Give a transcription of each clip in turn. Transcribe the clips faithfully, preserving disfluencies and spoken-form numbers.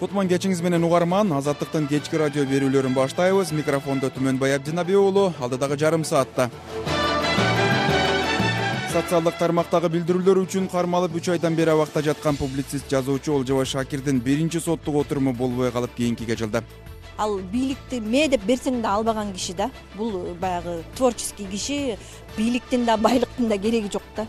Кутман кечиңиз менен угарман. Азаттыктын кечки радио берүүлөрүн баштайбыз. Микрофондо Түмөнбай Абдинабиулу. Алдыдагы жарым саатта социалдык тармактагы билдирүүлөр үчүн кармалып үч айдан бери абакта жаткан публицист жазуучу Олжобай Шакирдин биринчи соттук отуруму болбой калып кийинкиге жылды. Ал бийликти ме деп берсең да албаган киши да. Бул баягы творческий киши, бийликтин да байлыктын да кереги жок да.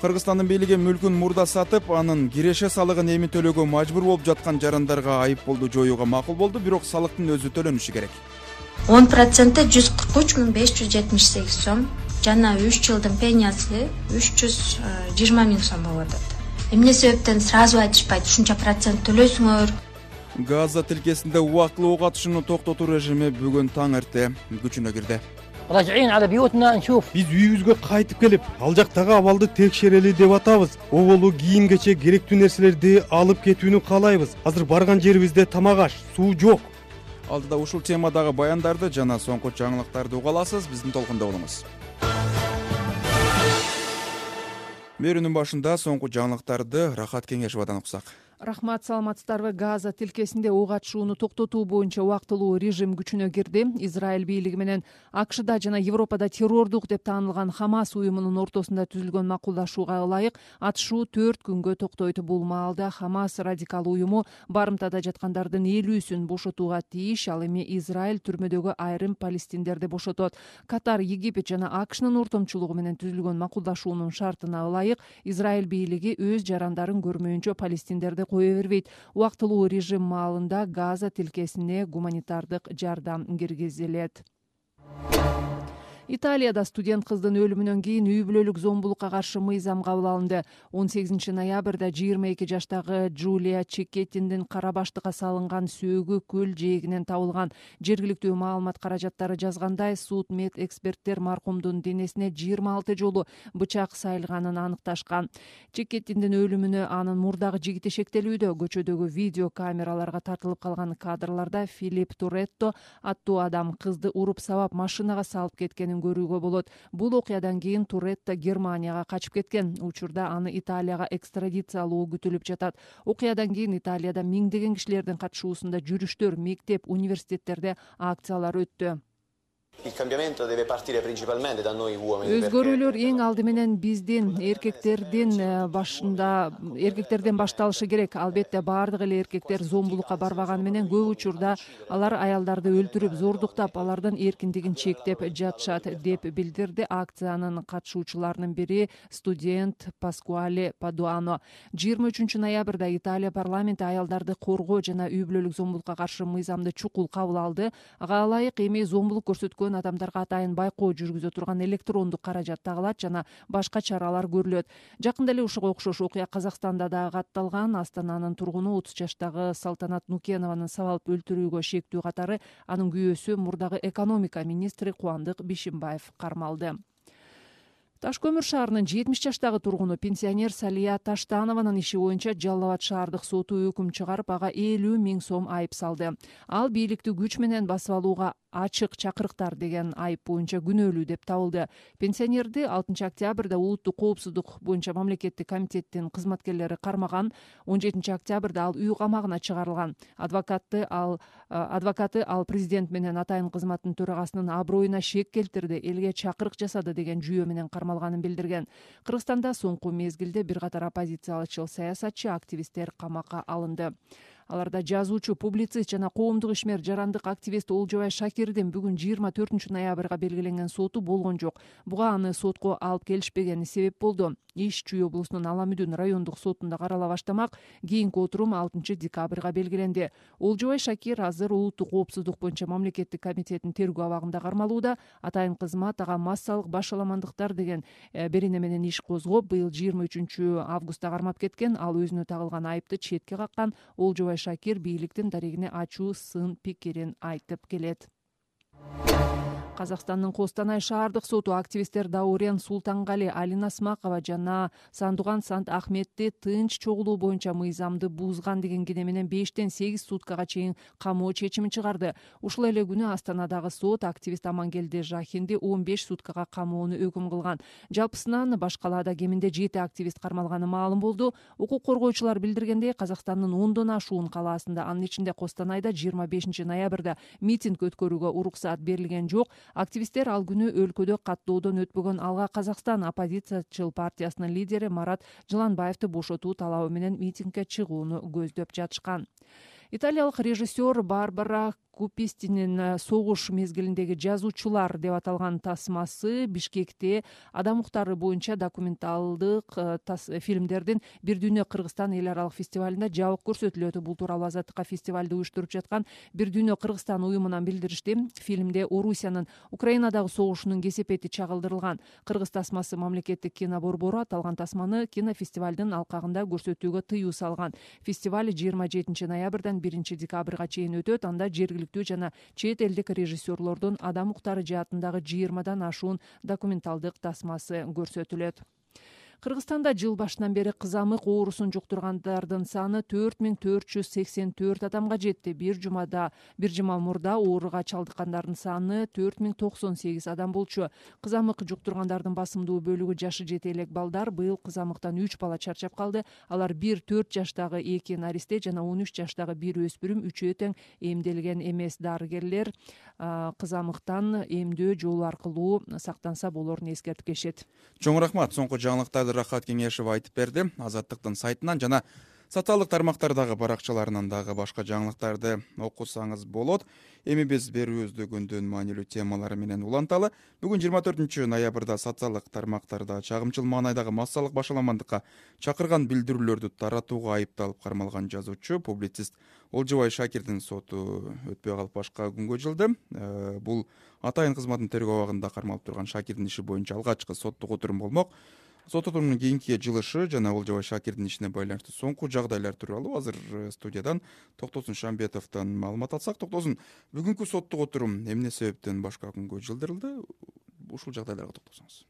Кыргызстандын бийлиги мүлкүн мурда сатып, анын киреше салыгын эми төлөөгө мажбур болуп жаткан жарандарга айыппулду жоюуга макул болду, бирок салыктын өзү төлөнүшү керек. он проценти жүз кырк үч миң беш жүз жетимиш сегиз сом жана үч жылдын пениясы үч жүз жыйырма миң сом болуп атат. Эмне себептен сразу айтышпайт, ушунча процент төлөйсүңөр? Газа тилкесинде убактылуу ок атышууну токтотуу режими бүгүн таң эрте күчүнө кирди. Биз үйүбүзгө кайтып келип, ал жактагы абалды текшерели деп атабыз. Оболу кийим кече керектүү нерселерди алып кетүүнү каалайбыз. Азыр барган жерибизде тамак аш, суу жок. Алдыда ушул темадагы баяндарды жана соңку жаңылыктарды уга аласыз. Биздин толкунда болуңуз. Берүүнүн башында соңку жаңылыктарды Рахат Кеңешовадан уксак. Рахмат, саламатсыздарбы? Газа тилкесинде ок атышууну токтотуу боюнча убактылуу режим күчүнө кирди. Израиль бийлиги менен АКШда жана Европада террордук деп таанылган Хамас уюмунун ортосунда түзүлгөн макулдашууга ылайык атышуу төрт күнгө токтойт. Бул маалда Хамас радикал уюму барымтада жаткандардын элүүсүн бошотууга тийиш, ал эми Израиль түрмөдөгү айрым палестиндерди бошотот. Катар, Египет жана АКШнын ортомчулугу менен түзүлгөн макулдашуунун шартына ылайык Израиль бийлиги өз жарандарын көрмөйүнчө палестиндерди кое бербейт. Убактылуу режим маалында Газа тилкесине гуманитардык жардам киргизилет. Италияда студент кыздын өлүмүнөн кийин үй бүлөлүк зомбулукка каршы мыйзам кабыл алынды. он сегизинчи ноябрда жыйырма эки жаштагы Джулия Чекеттиндин кара баштыкка салынган сөөгү көл жээгинен табылган. Жергиликтүү маалымат каражаттары жазгандай, суд мед эксперттер маркумдун денесине жыйырма алты жолу бычак сайылганын аныкташкан. Чекеттиндин өлүмүнө анын мурдагы жигити шектелүүдө. Көчөдөгү видео камераларга тартылып калган кадрларда Филипп Туретто аттуу адам кызды уруп сабап машинага салып кеткенин көрүүгө болот. Бул окуядан кийин Туретто Германияга качып кеткен. Учурда аны Италияга экстрадициялоо күтүлүп жатат. Окуядан кийин Италияда миңдеген кишилердин катышуусунда жүрүштөр, мектеп, университеттерде акциялар өттү. Өзгөрүүлөр эң алды менен биздин эркектердин башында эркектерден башталышы керек. Албетте баардык эле эркектер зомбулукка барбаганы менен көп учурда алар аялдарды өлтүрүп, зордуктап, алардын эркиндигин чектеп жатышат, деп билдирди акциянын катышуучуларынын бири студент Паскуале Падуано. жыйырма үчүнчү ноябрда Италия парламенти аялдарды коргоо жана үй бүлөлүк зомбулукка каршы мыйзамды чукул кабыл алды. Ага ылайык эми зомбулук көрсөткөн адамдарга атайын байкоо жүргүзө турган электрондук каражат тагылат жана башка чаралар көрүлөт. Жакында эле ушуга окшош окуя Казакстанда да катталган. Астананын тургуну отуз жаштагы Салтанат Нукенованы сабалып өлтүрүүгө шектүү катары анын күйөөсү мурдагы экономика министри Кубандык Бишимбаев кармалды. Таш көмүр шаарынын жетимиш жаштагы тургуну пенсионер Салия Таштанованын иши боюнча Жалал Абад шаардык соту өкүм чыгарып, ага элүү миң сом айып салды. Ал бийликти күч менен басып алууга ачык чакырыктар деген айып боюнча күнөөлүү деп табылды. Пенсионерди алтынчы октябрда улуттук коопсуздук боюнча мамлекеттик комитеттин кызматкерлери кармаган. он жетинчи октябрда ал үй камагына чыгарылган. Адвокаты ал адвокаты ал президент менен атайын кызматтын төрагасынын аброюна шек келтирди, элге чакырык жасады деген жүйө менен кармалганын билдирген. Кыргызстанда соңку мезгилде бир катар оппозициялычыл саясатчы, активисттер камакка алынды. Аларда жазуучу, публицист жана коомдук ишмер жарандык активист Олжобай Шакирдин бүгүн жыйырма төртүнчү ноябрга белгиленген соту болгон жок. Буга аны сотко алып келишпегени себеп болду. Иш Чүй облусунун Аламүдүн райондук сотунда карала баштамак. Кийинки отурум алтынчы декабрга белгиленди. Олжобай Шакир азыр улуттук коопсуздук боюнча мамлекеттик комитеттин тергөө абагында кармалууда. Атайын кызмат ага массалык башаламандыктар деген берене менен иш козгоп, быйыл жыйырма үчүнчү августта кармап кеткен. Ал өзүнө тагылган айыпты четке каккан. Олжобай Шакир бийликтин дарегине ачуу сын пикирин айтып келет. Казакстандын Костанай шаардык соту активисттер Даурен Султангали, Алина Смакова жана Сандуган Сант Ахметти тынч чогулуу боюнча мыйзамды бузган деген кине менен бештен сегиз суткага чейин камоо чечимин чыгарды. Ушул эле күнү Астанадагы сот активист Амангелди Жахинди он беш суткага камоону өкүм кылган. Жалпысынан баш калаада кеминде жети активист кармалганы маалым болду. Укук коргоочулар билдиргендей, Казакстандын ондон ашуун калаасында, анын ичинде Костанайда жыйырма бешинчи ноябрда митинг өткөрүүгө уруксаат берилген жок. Активисттер ал күнү өлкөдө каттоодон өтпөгөн Алга Казакстан оппозициячыл партиясынын лидери Марат Жыланбаевди бошотуу талабы менен митингге чыгууну көздөп жатышкан. Италиялык режиссер Барбара Купистинин согуш мезгилиндеги жазуучулар деп аталган тасмасы Бишкекте адам укуктары боюнча документалдык фильмдердин Бир дүйнө Кыргызстан эл аралык фестивалында жабык көрсөтүлөт. Бул тууралуу Азаттыкка фестивалды уюштуруп жаткан Бир дүйнө Кыргызстан уюмунан билдиришти. Фильмде Орусиянын Украинадагы согушунун кесепети чагылдырылган. Кыргыз тасмасы мамлекеттик кино борбору аталган тасманы кинофестивалдын алкагында көрсөтүүгө тыюу салган. Фестиваль жыйырма жетинчи ноябрдан биринчи декабрга чейин өтөт. Анда жергиликтүү жана чет элдик режиссерлордун адам укуктары жаатындагы жыйырмадан ашуун документалдык тасмасы көрсөтүлөт. Кыргызстанда жыл башынан бери кызамык оорусун жуктургандардын саны төрт миң төрт жүз сексен төрт адамга жетти. Бир жумада, бир жума мурда ооруга чалдыккандардын саны төрт миң токсон сегиз адам болчу. Кызамык жуктургандардын басымдуу бөлүгү жашы жете элек балдар. Быйыл кызамыктан үч бала чарчап калды. Алар бир төрт жаштагы эки наристе жана он үч жаштагы бир өспүрүм. Үчөө тең эмделген эмес. Дарыгерлер кызамыктан эмдөө жолу аркылуу сактанса болорун эскертип келишет. Чоң рахмат. Соңку жаңылыктарды Рахат Кеңешев айтып берди. Азаттыктын сайтынан жана социалдык тармактардагы баракчаларынан дагы башка жаңылыктарды окусаңыз болот. Эми биз берүүбүздү күндүн маанилүү темалары менен уланталы. Бүгүн жыйырма төртүнчү ноябрда социалдык тармактарда чагымчыл маанайдагы массалык башаламандыкка чакырган билдирүүлөрдү таратууга айыпталып кармалган жазуучу, публицист Олжобай Шакирдин соту өтпөй калып башка күнгө жылды. Бул атайын кызматтын тергөө абагында кармалып турган Шакирдин иши боюнча алгачкы соттук отурум болмок. Сот отурумунун кийинки жылышы жана Олжобай Шакирдин ишине байланыштуу соңку жагдайлар тууралуу азыр студиядан Токтосун Шамбетовдон маалымат алсак. Токтосун, бүгүнкү соттук отурум эмне себептен башка күнгө жылдырылды? Ушул жагдайларга токтосоңуз.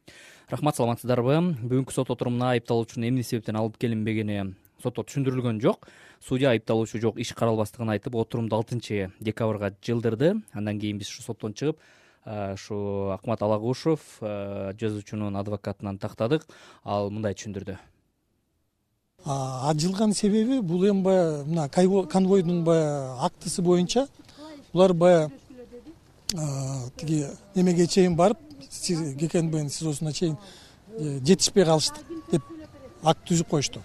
Рахмат, саламатсыздарбы? Бүгүнкү сот отурумуна айыпталуучунун эмне себептен алып келинбегени сотто түшүндүрүлгөн жок. Судья айыпталуучу жок, иш каралбастыгын айтып, отурумду алтынчы декабрга жылдырды. Андан кийин биз ушу соттон чыгып, ушу Акмат Алагушев жазуучунун адвокатынан тактадык. Ал мындай түшүндүрдү. Ажылган себеби бул эми баягы мына конвойдун баягы актысы боюнча булар баягы тиги немеге чейин барып, Гекенбен СИЗОсуна чейин жетишпей калышты деп акт түзүп коюшту.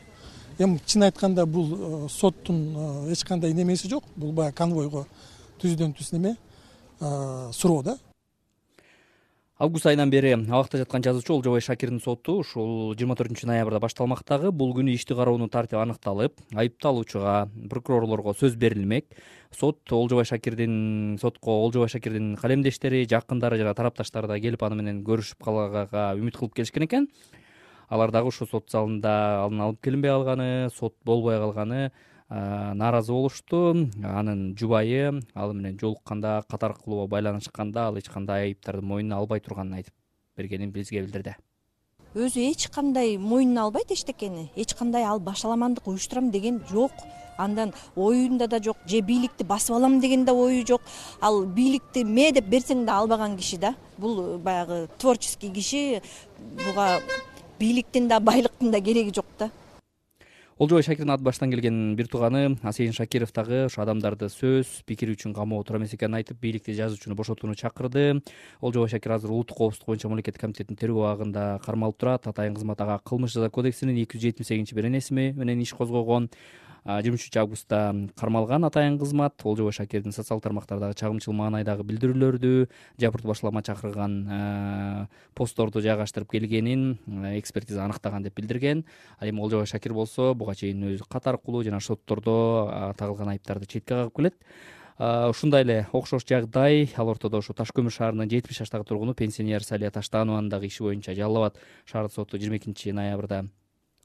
Эми чын айтканда бул соттун эч кандай немеси жок. Бул баягы конвойго түздөн түз неме суроо да. Август айынан бери абакта жаткан жазуучу Олжобай Шакирдин соту ушул жыйырма төртүнчү ноябрда башталмактагы. Бул күнү ишти кароонун тартиби аныкталып, айыпталуучуга, прокурорлорго сөз берилмек. Сот Олжобай Шакирдин сотко Олжобай Шакирдин калемдештери, жакындары жана тарапташтары да келип аны менен көрүшүп калганга үмүт кылып келишкен экен. Алар дагы ушул сот залында анын алып келинбей калганы, сот болбой калганы нааразы болушту. Анын жубайы ал менен жолукканда, кат аркылуу байланышканда ал эч кандай айыптарды мойнуна албай турганын айтып бергенин бизге билдирди. Өзү эч кандай мойнуна албайт эчтекени. Эч кандай ал башаламандык уюштурам деген жок. Андан оюнда да жок, же бийликти басып алам деген да ою жок. Ал бийликти ме деп берсең да албаган киши да. Бул баягы творческий киши. Буга бийликтин да, байлыктын да кереги жок да. Олжобай Шакирдин ат баштан келген бир тууганы Асейин Шакиров дагы ушу адамдарды сөз, пикир үчүн камоого тура эмес экенин айтып, бийликти жазуучуну бошотууну чакырды. Олжобай Шакир азыр улуттук коопсуздук боюнча мамлекеттик комитеттин тергөө абагында кармалып турат. Атайын кызмат ага кылмыш жаза кодексинин эки жүз жетимиш сегизинчи беренеси менен иш козгогон. жыйырма үчүнчү августта кармалган атайын кызмат Олжобай Шакирдин социалдык тармактардагы чагымчыл маанайдагы билдирүүлөрдү, жабыртуу башлама чакырган постторду жайгаштырып келгенин экспертиза аныктаган деп билдирген. Ал эми Олжобай Шакир болсо буга чейин өзү кат аркылуу жана соттордо тагылган айыптарды четке кагып келет. Ушундай эле окшош жагдай ал ортодо ушу Таш көмүр шаарынын жетимиш жаштагы тургуну пенсионер Салия Таштанованын дагы иши боюнча Жалал Абад шаардык соту жыйырма экинчи ноябрда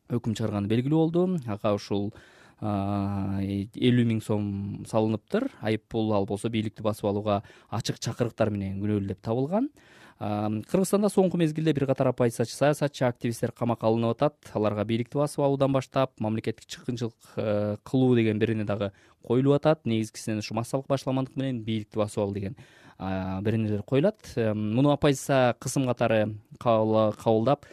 өкүм чыгарганы белгилүү болду. Ага ушул элүү миң сом салыныптыр. Айып пул ал болсо бийликти басып алууга ачык чакырыктар менен күнөөлүү деп табылган. Кыргызстанда соңку мезгилде бир катар оппозициячы, саясатчы, активисттер камакка алынып атат. Аларга бийликти басып алуудан баштап мамлекеттик чыккынчылык кылуу деген бирине дагы коюлуп атат. Негизгисинен ушу массалык башаламандык менен бийликти басып алуу деген биринелер коюлат. Муну оппозиция кысым катары кабылдап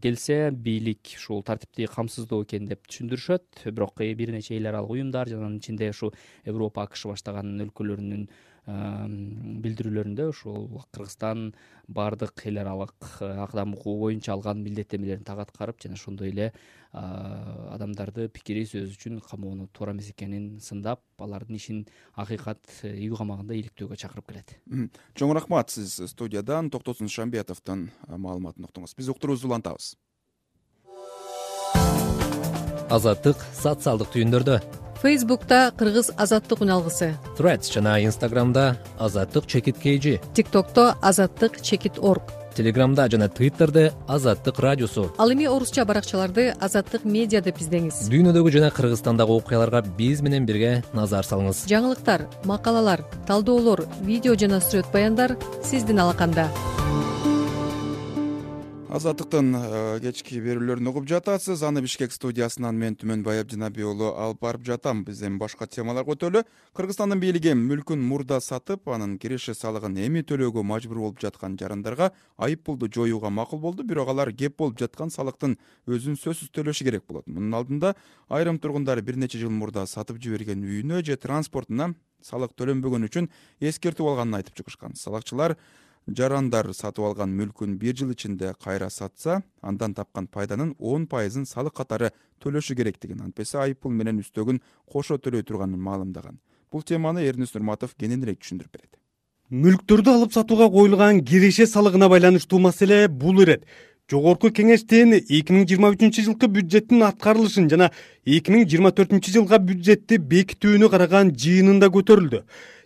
келсе, бийлик ушул тартипти камсыздоо экен деп түшүндүрүшөт. Бирок бир нече эл аралык уюмдар жана анын ичинде ушу Европа, АКШ баштаган өлкөлөрүнүн билдирүүлөрүндө ушул Кыргызстан баардык эл аралык кадам укугу боюнча алган милдеттенмелерин так аткарып жана ошондой эле адамдарды пикири сөз үчүн камоону туура эмес экенин сындап, алардын ишин акыйкат үй камагында иликтөөгө чакырып келет. Чоң рахмат, сиз студиядан Токтосун Шамбетовдун маалыматын уктуңуз. Биз уктуруубузду улантабыз. Азаттык социалдык түйүндөрдө. Фейсбукта Кыргыз азаттык үналгысы, Threads жана Инстаграмда азаттык чекит kg, ТикТокто азаттык чекит орг, Телеграмда жана Твиттерде азаттык радиосу. Ал эми орусча баракчаларды азаттык медиа деп издеңиз. Дүйнөдөгү жана Кыргызстандагы окуяларга биз менен бирге назар салыңыз. Жаңылыктар, макалалар, талдоолор, видео жана сүрөт баяндар сиздин алаканда. Азаттыктын кечки берүүлөрүн угуп жатасыз. Аны Бишкек студиясынан мен Түмөнбай Абдинабий уулу алып барып жатам. Биз эми башка темаларга өтөлү. Кыргызстандын бийлиги мүлкүн мурда сатып, анын киреше салыгын эми төлөөгө мажбур болуп жаткан жарандарга айып пулду жоюуга макул болду. Бирок алар кеп болуп жаткан салыктын өзүн сөзсүз төлөшү керек болот. Мунун алдында айрым тургундар бир нече жыл мурда сатып жиберген үйүнө же транспортуна салык төлөнбөгөн үчүн эскертип алганын айтып чыгышкан. Салыкчылар жарандар сатып алган мүлкүн бир жыл ичинде кайра сатса, андан тапкан пайданын он пайызын салык катары төлөшү керектигин, антпесе айып пул менен үстөгүн кошо төлөй турганын маалымдаган. Бул теманы Эрнис Нурматов кененирээк түшүндүрүп берет. Мүлктөрдү алып сатууга коюлган киреше салыгына байланыштуу маселе бул ирет. Жогорку кеңештин эки миң жыйырма үчүнчү жылкы бюджеттин аткарылышын жана эки миң жыйырма төртүнчү жылга бюджетти бекитүүнү караган жыйынында көтөрүлдү.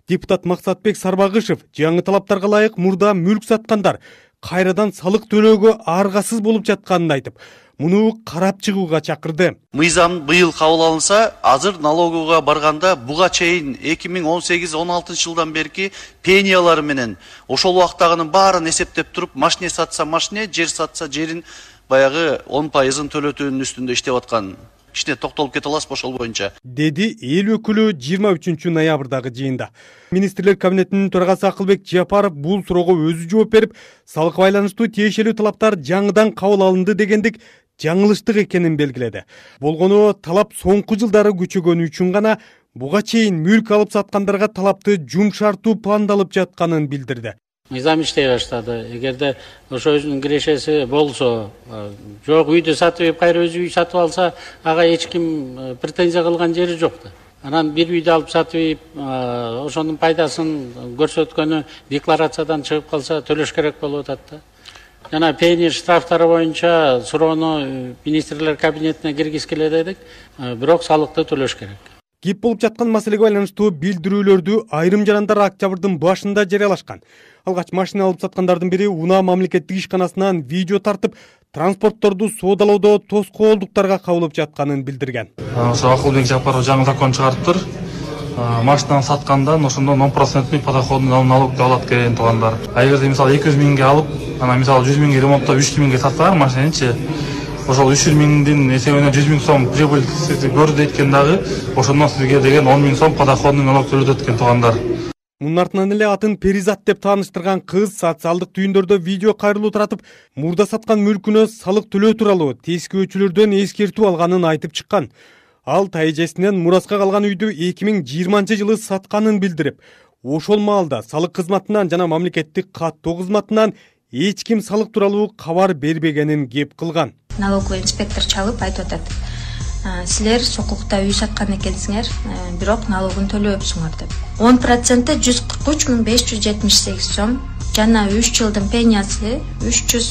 Депутат Максатбек Сарбагышев жаңы талаптарга ылайык мурда мүлк саткандар кайрадан салык төлөөгө аргасыз болуп жатканын айтып, муну карап чыгууга чакырды. Мыйзам быйыл кабыл алынса, азыр налогуга барганда буга чейин эки миң он сегиз он алтынчы жылдан берки пениялары менен ошол убактагынын баарын эсептеп туруп, машине сатса машине, жер сатса жерин баягы он пайызын төлөтүүнүн үстүндө иштеп аткан. Кичине токтолуп кете аласызбы ошол боюнча? Деди эл өкүлү жыйырма үчүнчү ноябрдагы жыйында. Министрлер кабинетинин төрагасы Акылбек Жапаров бул суроого өзү жооп берип, салыкка байланыштуу тиешелүү талаптар жаңыдан кабыл алынды дегендик жаңылыштык экенин белгиледи. Болгону талап соңку жылдары күчөгөнү үчүн гана буга чейин мүлк алып саткандарга талапты жумшартуу пландалып жатканын билдирди. Мыйзам иштей баштады. Эгерде ошо өзүнүн кирешеси болсо, жок үйдү сатып, кайра өзү үй сатып алса, ага эч ким претензия кылган жери жок да. Анан бир үйдү алып сатып, ошонун пайдасын көрсөткөнү декларациядан чыгып калса, төлөш керек болуп атат да. Жана пени штрафтары боюнча суроону министрлер кабинетине киргизгиле дедик, бирок салыкты төлөш керек. Кеп болуп жаткан маселеге байланыштуу билдирүүлөрдү айрым жарандар октябрдын башында жарыялашкан. Алгач машина алып саткандардын бири Унаа мамлекеттик ишканасынан видео тартып, транспортторду соодалоодо тоскоолдуктарга кабылып жатканын билдирген. Ошо Акылбек Жапаров жаңы закон чыгарыптыр. Машинаны саткандан ошондон он проценттик подоходный налог алат экен туугандар. А эгерде мисалы эки жүз миңге алып, анан мисалы жүз миңге ремонттоп үч жүз миңге сатсалар машинанычы, ошол үч жүз миңдин эсебинен жүз миң сом прибыль көрдү экен дагы, ошондон сизге деген он миң сом подоходный налог төлөтөт экен туугандар. Мунун артынан эле атын Перизат деп тааныштырган кыз социалдык түйүндөрдө видео кайрылуу таратып, мурда саткан мүлкүнө салык төлөө тууралуу тескөөчүлөрдөн эскертүү алганын айтып чыккан. Ал тайэжесинен мураска калган үйдү эки миң жыйырманчы жылы сатканын билдирип, ошол маалда салык кызматынан жана мамлекеттик каттоо кызматынан эч ким салык тууралуу кабар бербегенин кеп кылган. Налоговый инспектор чалып айтып атат: силер сокулукта үй саткан экенсиңер, бирок налогун төлөбөпсүңөр деп. он проценти жүз кырк үч миң беш жүз жетимиш сегиз сом жана үч жылдын пениясы үч жүз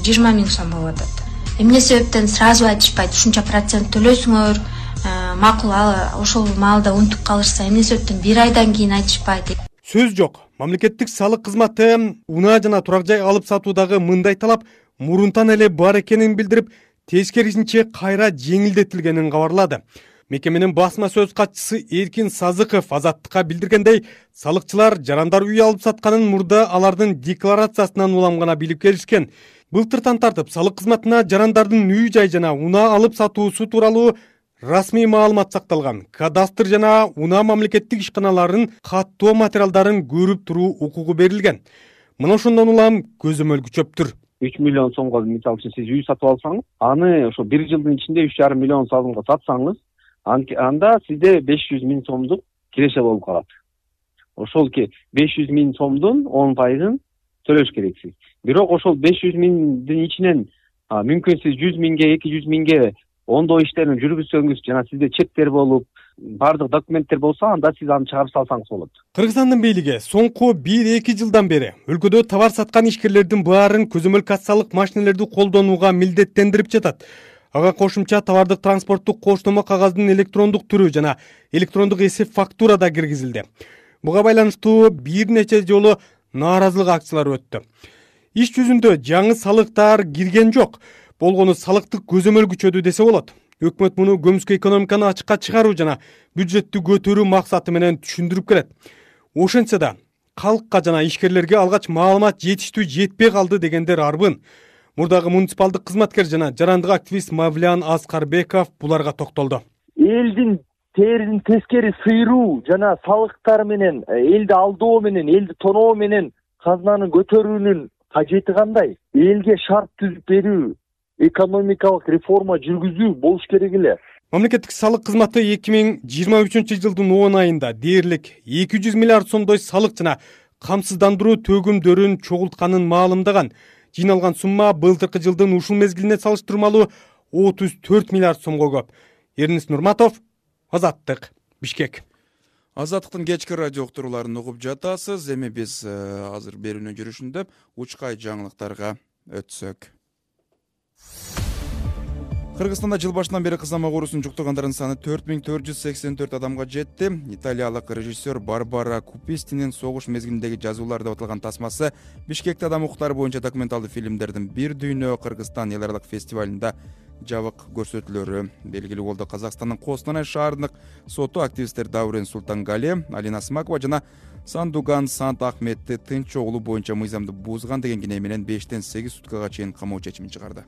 жыйырма миң сом болуп атат. Эмне себептен сразу айтышпайт, ушунча процент төлөсүңөр, макул ошол маалда унутуп калышса эмне себептен бир айдан кийин айтышпайт? Сөз жок. Мамлекеттик салык кызматы унаа жана турак жай алып сатуудагы мындай талап мурунтан эле бар экенин билдирип, тескерисинче кайра жеңилдетилгенин кабарлады. Мекеменин басма сөз катчысы Эркин Сазыков Азаттыкка билдиргендей, салыкчылар жарандар үй алып сатканын мурда алардын декларациясынан улам гана билип келишкен. Былтыртан тартып салык кызматына жарандардын үй жай жана унаа алып сатуусу тууралуу расмий маалымат сакталган. Кадастр жана унаа мамлекеттик ишканаларынын каттоо материалдарын көрүп туруу укугу берилген. Мына ошондон улам көзөмөл күчөптүр. үч миллион сомго мисалы үчүн сиз үй сатып алсаңыз, аны ошо бир жылдын ичинде үч жарым миллион сомго сатсаңыз, анда сизде беш жүз миң сомдук киреше болуп калат. Ошол беш жүз миң сомдун он пайызын төлөш керексиз. Бирок ошол беш жүз миңдин ичинен мүмкүн сиз жүз миңге, эки жүз миңге ондоо иштерин жүргүзсөңүз жана сизде чектер болуп, бардык документтер болсо, анда сиз аны чыгарып салсаңыз болот. Кыргызстандын бийлиги соңку бир-эки жылдан бери өлкөдө товар саткан ишкерлердин баарын көзөмөл кассалык машинелерди колдонууга милдеттендирип жатат. Ага кошумча товардык транспорттук коштомо кагаздын электрондук түрү жана электрондук эсеп фактура да киргизилди. Буга байланыштуу бир нече жолу нааразылык акциялары өттү. Иш жүзүндө жаңы салыктар кирген жок. Болгону салыктык көзөмөл күчөдү десе болот. Өкмөт муну көмүскө экономиканы ачыкка чыгаруу жана бюджеттти көтөрүү максаты менен түшүндүрүп келет. Ошентсе да калкка жана ишкерлерге алгач маалымат жетиштүү жетпей калды дегендер арбын. Мурдагы муниципалдык кызматкер жана жарандык активист Мавлян Аскарбеков буларга токтолду. Элдин терин тескери сыйруу жана салыктар менен, элди алдоо менен, элди тоноо менен казнаны көтөрүүнүн кажети кандай? Элге шарт түзүп берүү, экономикалык реформа жүргүзүү болуш керек эле. Мамлекеттик салык кызматы эки миң жыйырма үчүнчү жылдын он айында дээрлик эки жүз миллиард сомдой салык жана камсыздандыруу төгүмдөрүн чогултканын маалымдаган. Жыйналган сумма былтыркы жылдын ушул мезгилине салыштырмалуу отуз төрт миллиард сомго көп. Эрнис Нурматов, Азаттык, Бишкек. Азаттыктын кечки радио уктурууларын угуп жатасыз. Эми биз азыр берүүнүн жүрүшүндө учкай жаңылыктарга өтсөк. Кыргызстанда жыл башынан бери кызамык оорусун жуктургандардын саны төрт миң төрт жүз сексен төрт адамга жетти. Италиялык режиссер Барбара Купистинин согуш мезгилиндеги жазуулар деп аталган тасмасы Бишкекте адам укуктары боюнча документалдуу фильмдердин Бир дүйнө Кыргызстан эл аралык фестивалында жабык көрсөтүлөрү белгилүү болду. Казакстандын Костанай шаарындык соту активисттер Даурен Султангали, Алина Смакова жана Сандуган Сант Ахметти тынч оолу боюнча мыйзамды бузган деген кине менен бештен сегиз суткага чейин камоо чечимин чыгарды.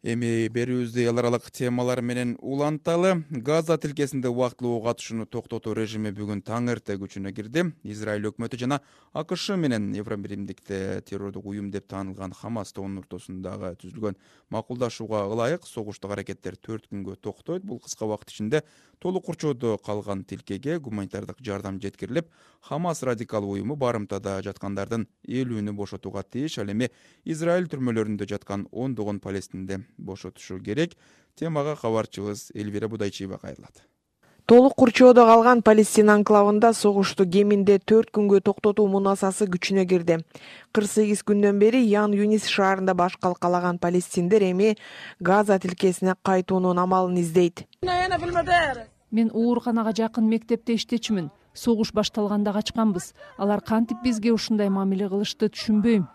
Эми берүүбүздү эл аралык темалар менен уланталы. Газа тилкесинде убактылуу ок атышууну токтотуу режими бүгүн таң эрте күчүнө кирди. Израиль өкмөтү жана АКШ менен Евробиримдикте террордук уюм деп таанылган Хамас тобунун ортосундагы түзүлгөн макулдашууга ылайык согуштук аракеттер төрт күнгө токтойт. Бул кыска убакыт ичинде толук курчоодо калган тилкеге гуманитардык жардам жеткирилип, Хамас радикал уюму барымтада жаткандардын элүүнү бошотууга тийиш. Ал эми Израиль түрмөлөрүндө жаткан ондогон палестинди бошотушу керек. Темага кабарчыбыз Элвира Будайчиева кайрылат. Толук курчоодо калган Палестина анклавында согушту кеминде төрт күнгө токтотуу мунасасы күчүнө кирди. кырк сегиз күндөн бери Ян Юнис шаарында баш калкалаган палестиндер эми Газа тилкесине кайтуунун амалын издейт. Мен ооруканага жакын мектепте иштечимин. Согуш башталганда качканбыз. Алар кантип бизге ушундай мамиле кылышты түшүнбөйм.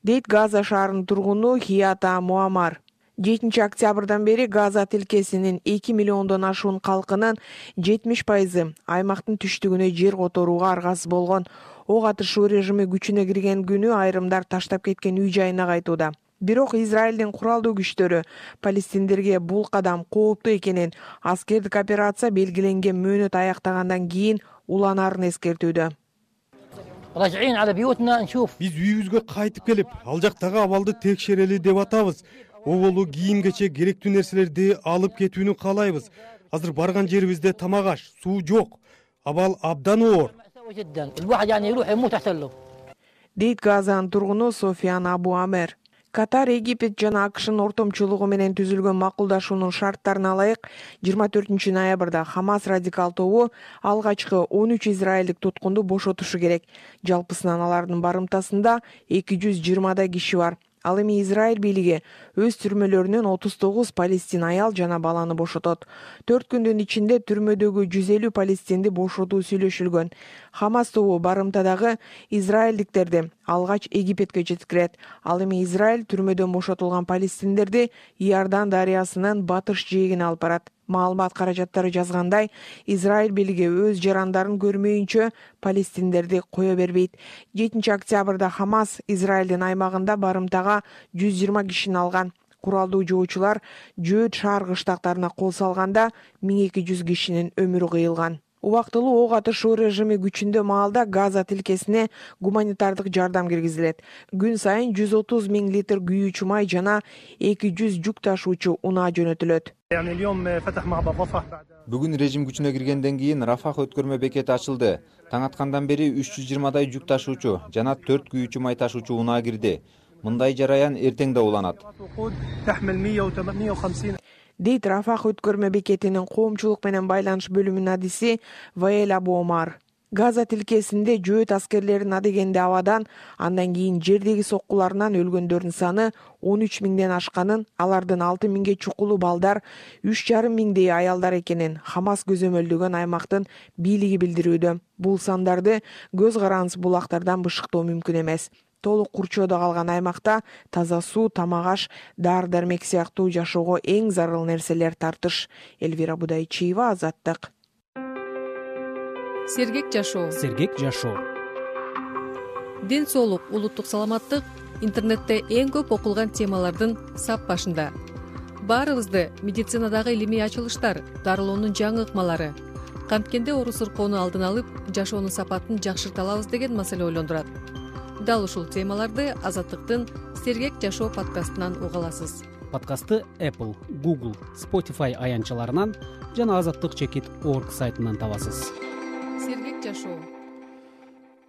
Дейт Газа шаарынын тургуну Хията Муамар. жетинчи октябрдан бери Газа тилкесинин эки миллиондон ашуун калкынын жетимиш пайызы аймактын түштүгүнө жер которууга аргасыз болгон. Ок атышуу режими күчүнө кирген күнү айрымдар таштап кеткен үй жайына кайтууда. Бирок Израилдин куралдуу күчтөрү палестиндерге бул кадам кооптуу экенин, аскердик операция белгиленген мөөнөт аяктагандан кийин уланаарын эскертүүдө. Биз үйүбүзгө кайтып келип, ал жактагы абалды текшерели деп атабыз. Оболу кийим кече керектүү нерселерди алып кетүүнү каалайбыз. Азыр барган жерибизде тамак аш, суу жок. Абал абдан оор. Дейт Газанын тургуну Софиян Абу Амер. Катар, Египет жана АКШнын ортомчулугу менен түзүлгөн макулдашуунун шарттарына ылайык жыйырма төртүнчү ноябрда Хамас радикал тобу алгачкы он үч израилдик туткунду бошотушу керек. Жалпысынан алардын барымтасында эки жүз жыйырмадай киши бар. Ал эми Израиль бийлиги өз түрмөлөрүнөн отуз тогуз палестин аял жана баланы бошотот. төрт күндүн ичинде түрмөдөгү жүз элүү палестинди бошотуу сүйлөшүлгөн. Хамас тобу барымтадагы израилдиктерди алгач Египетке жеткирет. Ал эми Израиль түрмөдөн бошотулган палестиндерди Иордан дарыясынын батыш жээгине алып барат. Маалымат каражаттары жазгандай, Израиль бийлиги өз жарандарын көрмөйүнчө палестиндерди кое бербейт. жетинчи октябрда Хамас Израилдин аймагында барымтага жүз жыйырма кишини алган. Куралдуу жоочулар Жөөт шаар кыштактарына кол салганда миң эки жүз кишинин өмүрү кыйылган. Убактылуу ок атышуу режими күчүндө маалда Газа тилкесине гуманитардык жардам киргизилет. Күн сайын жүз отуз миң литр күйүүчү май жана эки жүз жүк ташуучу унаа жөнөтүлөт. Бүгүн режим күчүнө киргенден кийин Рафах өткөрмө бекети ачылды. Таң аткандан бери үч жүз жыйырмадай жүк ташуучу жана төрт күйүүчү май ташуучу унаа кирди. Мындай жараян эртең да уланат. Дейт Рафах өткөрмө бекетинин коомчулук менен байланыш бөлүмүнүн адиси Ваэль Абу Омар. Газа тилкесинде Жөөт аскерлерин адегенде абадан, андан кийин жердеги соккуларынан өлгөндөрдүн саны он үч миңден ашканын, алардын алты миңге чукулу балдар, үч жарым миңдей аялдар экенин Хамас көзөмөлдөгөн аймактын бийлиги билдирүүдө. Бул сандарды көз карандысыз булактардан бышыктоо мүмкүн эмес. Толук курчоодо калган аймакта таза суу, тамак-аш, дары-дармек сыяктуу жашоого эң зарыл нерселер тартыш. Элвира Будайчиева, Азаттык. Сергек жашоо. Сергек жашоо. Ден соолук, улуттук саламаттык интернетте эң көп окулган темалардын сап башында. Баарыбызды медицинадагы илимий ачылыштар, дарылоонун жаңы ыкмалары, канткенде оору-сыркоону алдын алып, жашоонун сапатын жакшырта алабыз деген маселе ойлондурат. Дал ушул темаларды Азаттыктын Сергек жашоо подкастынан уга аласыз. Подкастты Apple, Google, Spotify аянтчаларынан жана азаттык чекит точка орг сайтынан табасыз. Сергек жашоо.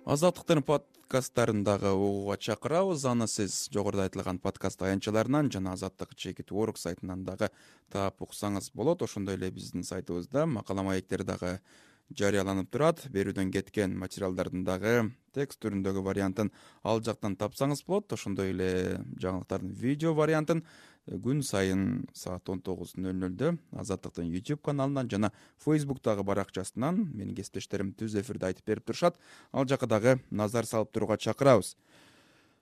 Азаттыктын подкасттарын дагы угууга чакырабыз. Аны сиз жогоруда айтылган подкаст аянтчаларынан жана азаттык чекит точка орг сайтынан дагы таап уксаңыз болот. Ошондой эле биздин сайтыбызда макала маектер дагы жарыяланып турат. Берүүдөн кеткен материалдардын дагы текст түрүндөгү вариантын ал жактан тапсаңыз болот. Ошондой эле жаңылыктардын видео вариантын күн сайын саат он тогуз ноль нолдо Азаттыктын YouTube каналынан жана Facebook'тагы баракчасынан менин кесиптештерим түз эфирде айтып берип турушат. Ал жака дагы назар салып турууга чакырабыз.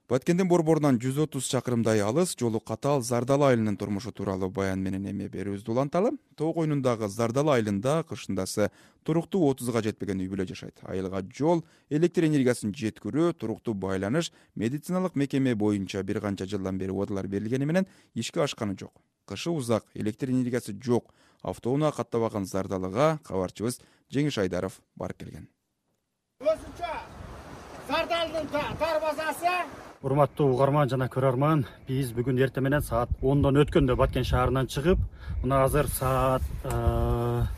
Баткендин борборунан жүз отуз чакырымдай алыс, жолу катаал Зардалы айылынын турмушу тууралуу баян менен эме берүүбүздү уланталы. Тоо койнундагы Зардалы айылында кышындасы туруктуу отузга жетпеген үй бүлө жашайт. Айылга жол, электр энергиясын жеткирүү, туруктуу байланыш, медициналык мекеме боюнча бир канча жылдан бери убадалар берилгени менен ишке ашканы жок. Кышы узак, электр энергиясы жок. Автоунаа каттабаган Зардалыга кабарчыбыз Жеңиш Айдаров барып келген. Өзүнчө Зардалдын тар базасы. Урматтуу угарман жана көрөрман, биз бүгүн эртең менен саат ондон өткөндө Баткен шаарынан чыгып, мына азыр саат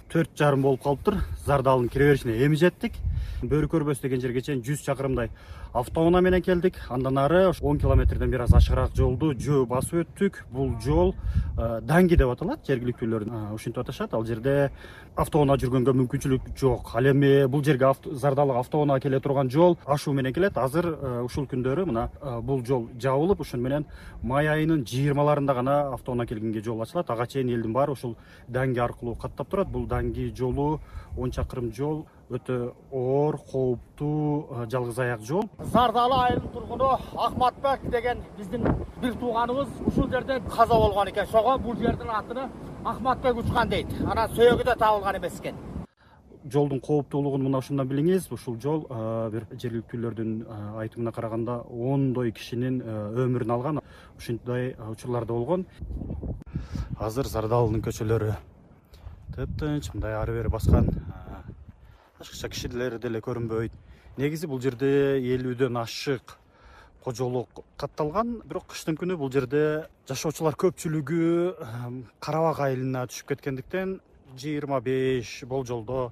төрт жарым болуп калыптыр. Зардалдын кире беришине эми жеттик. Бөрү көрбөс деген жерге чейин жүз чакырымдай автоунаа менен келдик. Андан ары он километрден бир аз ашыгыраак жолду жөө басып өттүк. Бул жол Данги деп аталат, жергиликтүүлөр ушинтип аташат. Ал жерде автоунаа жүргөнгө мүмкүнчүлүк жок. Ал эми бул жерге Зардалыга автоунаа келе турган жол ашуу менен келет. Азыр ушул күндөрү мына бул жол жабылып, ошон менен май айынын жыйырмаларында гана автоунаа келгенге жол ачылат. Ага чейин элдин баары ушул Данги аркылуу каттап турат. Бул Данги жолу он чакырым жол, өтө оор, кооптуу, жалгыз аяк жол. Зардалы айылынын тургуну Акматбек деген биздин бир тууганыбыз ушул жерде каза болгон экен. Ошого бул жердин атын Акматбек учкан дейт. Анан сөөгү да табылган эмес экен. Жолдун кооптуулугун мына ушундан билиңиз. Ушул жол бир жергиликтүүлөрдүн айтымына караганда ондой кишинин өмүрүн алган. Ушундай учурларда болгон. Азыр Зардалынын көчөлөрү тыптынч, мындай ары бери баскан. Башкача кишилер деле көрүнбөйт. Негизи бул жерде элүүдөн ашык кожолук катталган, бирок кыштын күнү бул жерде жашоочулар көпчүлүгү Карабак айылына түшүп кеткендиктен жыйырма беш болжолдо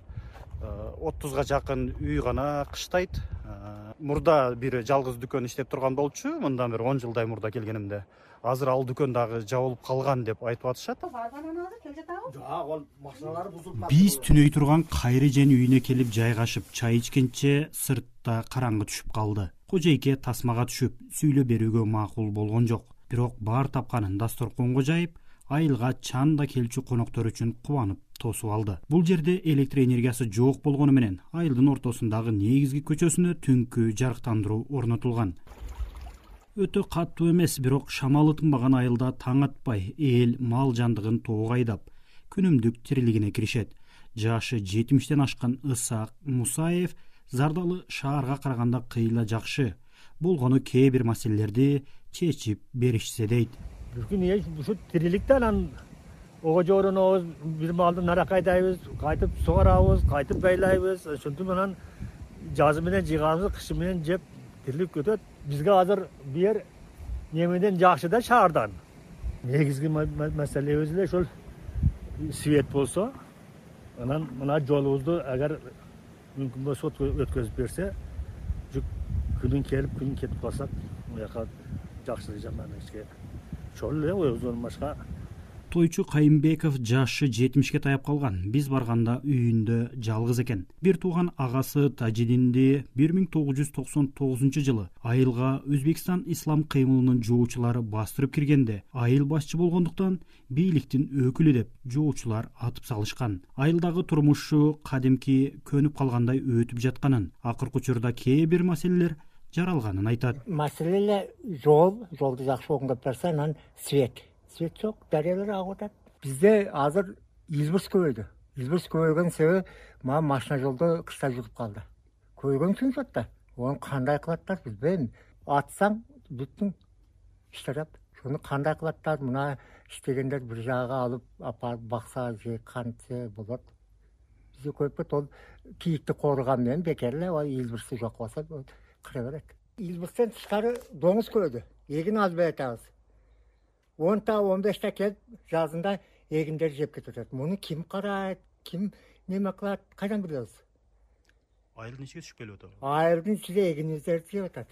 отузга жакын үй гана кыштайт. Мурда бир жалгыз дүкөн иштеп турган болчу, мындан бир он жылдай мурда келгенимде. Азыр ал дүкөн дагы жабылып калган деп айтып атышат. Биз түнөй турган Кайрыжен үйүнө келип жайгашып чай ичкенче сыртта караңгы түшүп калды. Кожойке тасмага түшүп сүйлөп берүүгө макул болгон жок. Бирок бар тапканын дасторконго жайып, айылга чанда келчү коноктор үчүн кубанып тосуп алды. Бул жерде электр энергиясы жок болгону менен айылдын ортосундагы негизги көчөсүнө түнкү жарыктандыруу орнотулган. Өтө катуу эмес, бирок шамалы тынбаган айылда таң атпай эл мал жандыгын тоого айдап, күнүмдүк тирилигине киришет. Жашы жетимиштен ашкан Ысаак Мусаев Зардалы шаарга караганда кыйла жакшы болгону кээ бир маселелерди чечип беришсе дейт. Бир күн ушу тириликте анан ого жорунобуз, бир малды нарак айдайбыз, кайтып сугарабыз, кайтып байлайбыз. Ошентип анан жазы менен жыйганыбызды кышы менен жеп тирилик өтөт. Бизге азыр бир немеден жакшы да шаардан. Негизги маселебиз эле ошол свет болсо, анан мына жолубузду агар мүмкүн болсо өткөзүп берсе, күнүн келип күнүн кетип калсак, муяка жакшы жаман ишке ошол эле өзүнөн башка. Тойчу Кайымбеков жашы жетимишке таяп калган. Биз барганда үйүндө жалгыз экен. Бир тууган агасы Тажидинди бир миң тогуз жүз токсон тогузунчу жылы айылга Өзбекстан ислам кыймылынын жоочулары бастырып киргенде, айыл башчы болгондуктан бийликтин өкүлү деп жоочулар атып салышкан. Айылдагы турмушу кадимки көнүп калгандай өтүп жатканын, акыркы учурда кээ бир маселелер жаралганын айтат. Маселе жол, жолду жакшы оңдоп берсе, анан свет. Свет жок, дарыялар агып атат. Бизде азыр Илбирс көбөйдү. Илбирс көбөйгөн себеби мага машина жолдо кышта жугуп калды. Көбөйгөн үчүн да. Оны кандай кылаттар билбейм. Атсаң бүттүң иштеп. Шуну кандай кылаттар? Мына иштегендер бир жагга алып апарып бакса же кантсе болот. Бизде көпөт ол кийикти кооруган менен бекер эле Илбирс жок болсо кыра берет. Илбирстен тышкары доңуз көбөйдү. Эгин азбай атабыз. онта он беште келип жазында эгиндер жеп кетет. Муну ким карайт, ким неме кылат, кайдан билебиз? Айылдын ичиге түшүп келип атат. Айылдын ичиге эгиниздерди жеп атат.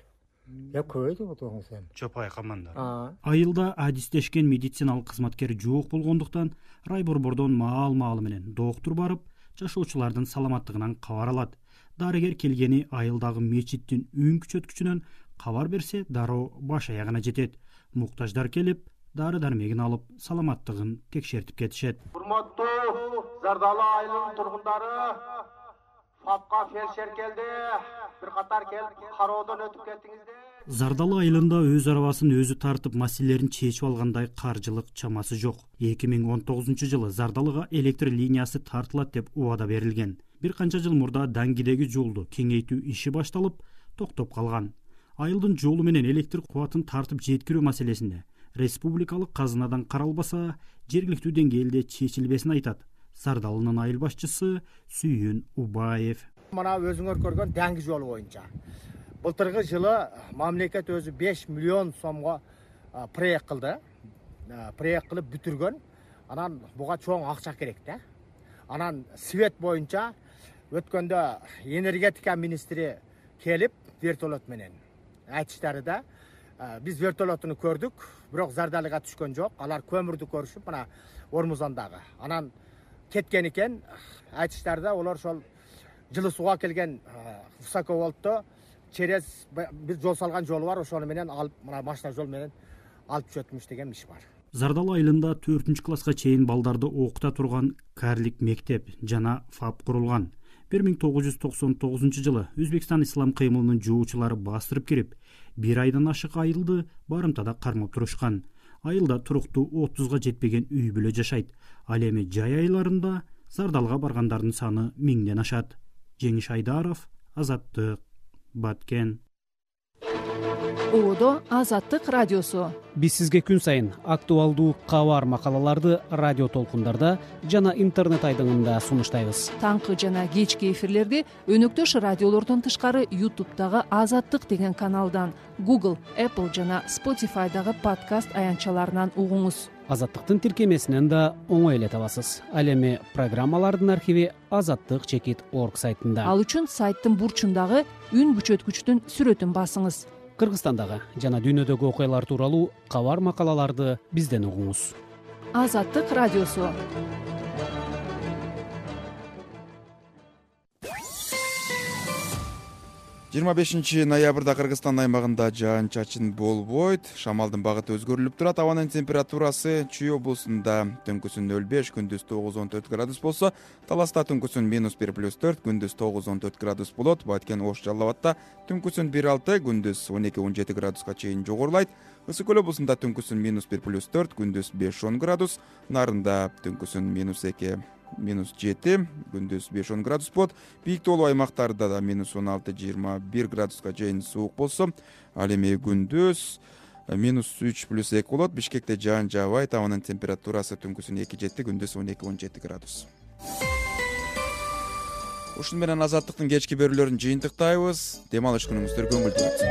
Я көбөйдү доңуз эми. Чопай камандар. Айылда адистешкен медициналык кызматкер жок болгондуктан райборбордон маал-маалы менен доктур барып, жашоочулардын саламаттыгынан кабар алат. Дарыгер келгени айылдагы мечиттин үн күчөткүчүнөн кабар берсе, дароо баш аягына жетет. Муктаждар келип, дары дармегин алып, саламаттыгын текшертип кетишет. Урматтуу Зардалы айылынын тургундары, ФАПка фельдшер келди. Бир катар келип кароодон өтүп кеттиңиздер. Зардалы айылында өз арабасын өзү тартып маселелерин чечип алгандай каржылык чамасы жок. эки миң он тогузунчу жылы Зардалыга электр линиясы тартылат деп убада берилген. Бир канча жыл мурда Даңгидеги жолду кеңейтүү иши башталып, токтоп калган. Айылдын жолу менен электр кубатын тартып жеткирүү маселесинде республикалык казынадан каралбаса, жергиликтүү деңгээлде чечилбесин айтат Зардалынын айыл башчысы Сүйүн Убаев. Мына өзүңөр көргөн Даңги жолу боюнча былтыркы жылы мамлекет өзү беш миллион сомго проект кылды. Проект кылып бүтүргөн. Анан буга чоң акча керек да. Анан свет боюнча өткөндө энергетика министри келип вертолет менен айтыштары да, биз вертолетуну көрдүк, бирок Зардалыга түшкөн жок. Алар көмүрдү көрүшүп, мына Ормузандагы. Анан кеткен экен. Айтыштары да, олар ошол жылы сууга келген высоковольтто через бир жол салган жолу бар, ошону менен алып, мына машина жол менен алып түшөтмүш деген иш бар. Зардалы айылында төртүнчү класска чейин балдарды окута турган карлик мектеп жана ФАП курулган. бир миң тогуз жүз токсон тогузунчу жылы Өзбекстан ислам кыймылынын жоочулары бастырып кирип, бир айдан ашык айылды барымтада кармап турушкан. Айылда туруктуу отузга жетпеген үй бүлө жашайт. Ал эми жай айларында Зардалга баргандардын саны миңден ашат. Жеңиш Айдаров, Азаттык, Баткен. Одо Азаттык радиосу. Биз сизге күн сайын актуалдуу кабар макалаларды радио толкундарда жана интернет айдыңында сунуштайбыз. Таңкы жана кечки эфирлерди өнөктөш радиолордон тышкары YouTube'дагы Азаттык деген каналдан, Google, Apple жана Spotify'дагы подкаст аянтчаларынан угуңуз. Азаттыктын тиркемесинен да оңой эле табасыз. Ал эми программалардын архиви азаттык чекит орг сайтында. Ал үчүн сайттын бурчундагы үн күчөткүчтүн сүрөтүн басыңыз. Кыргызстандагы жана дүйнөдөгү окуялар тууралуу кабар макалаларды бизден угуңуз. Азаттык радиосу. жыйырма бешинчи ноябрда Кыргызстан аймагында жаан чачын болбойт. Шамалдын багыты өзгөрүлүп турат. Абанын температурасы Чүй облусунда түнкүсүн нөл беш, күндүз тогуз он төрт градус болсо, Таласта түнкүсүн минус бир плюс төрт, күндүз тогуз он төрт градус болот. Баткен Ош Жалал Абадта түнкүсүн бир алты, күндүз он эки он жети градуска чейин жогорулайт. Ысык Көл облусунда түнкүсүн минус бир плюс төрт, күндүз беш он градус. Нарында түнкүсүн минус эки минус жети, күндүз беш он градус болот. Бийик тоолуу аймактарда да минус он алты жыйырма бир градуска чейин суук болсо, ал эми күндүз минус үч плюс эки болот. Бишкекте жаан жаабайт. Абанын температурасы түнкүсүн эки жети, күндүз он эки он жети градус. Ушун менен Азаттыктын кечки берүүлөрүн жыйынтыктайбыз. Дем алыш күнүңүздөр көңүлдүү өтсүн.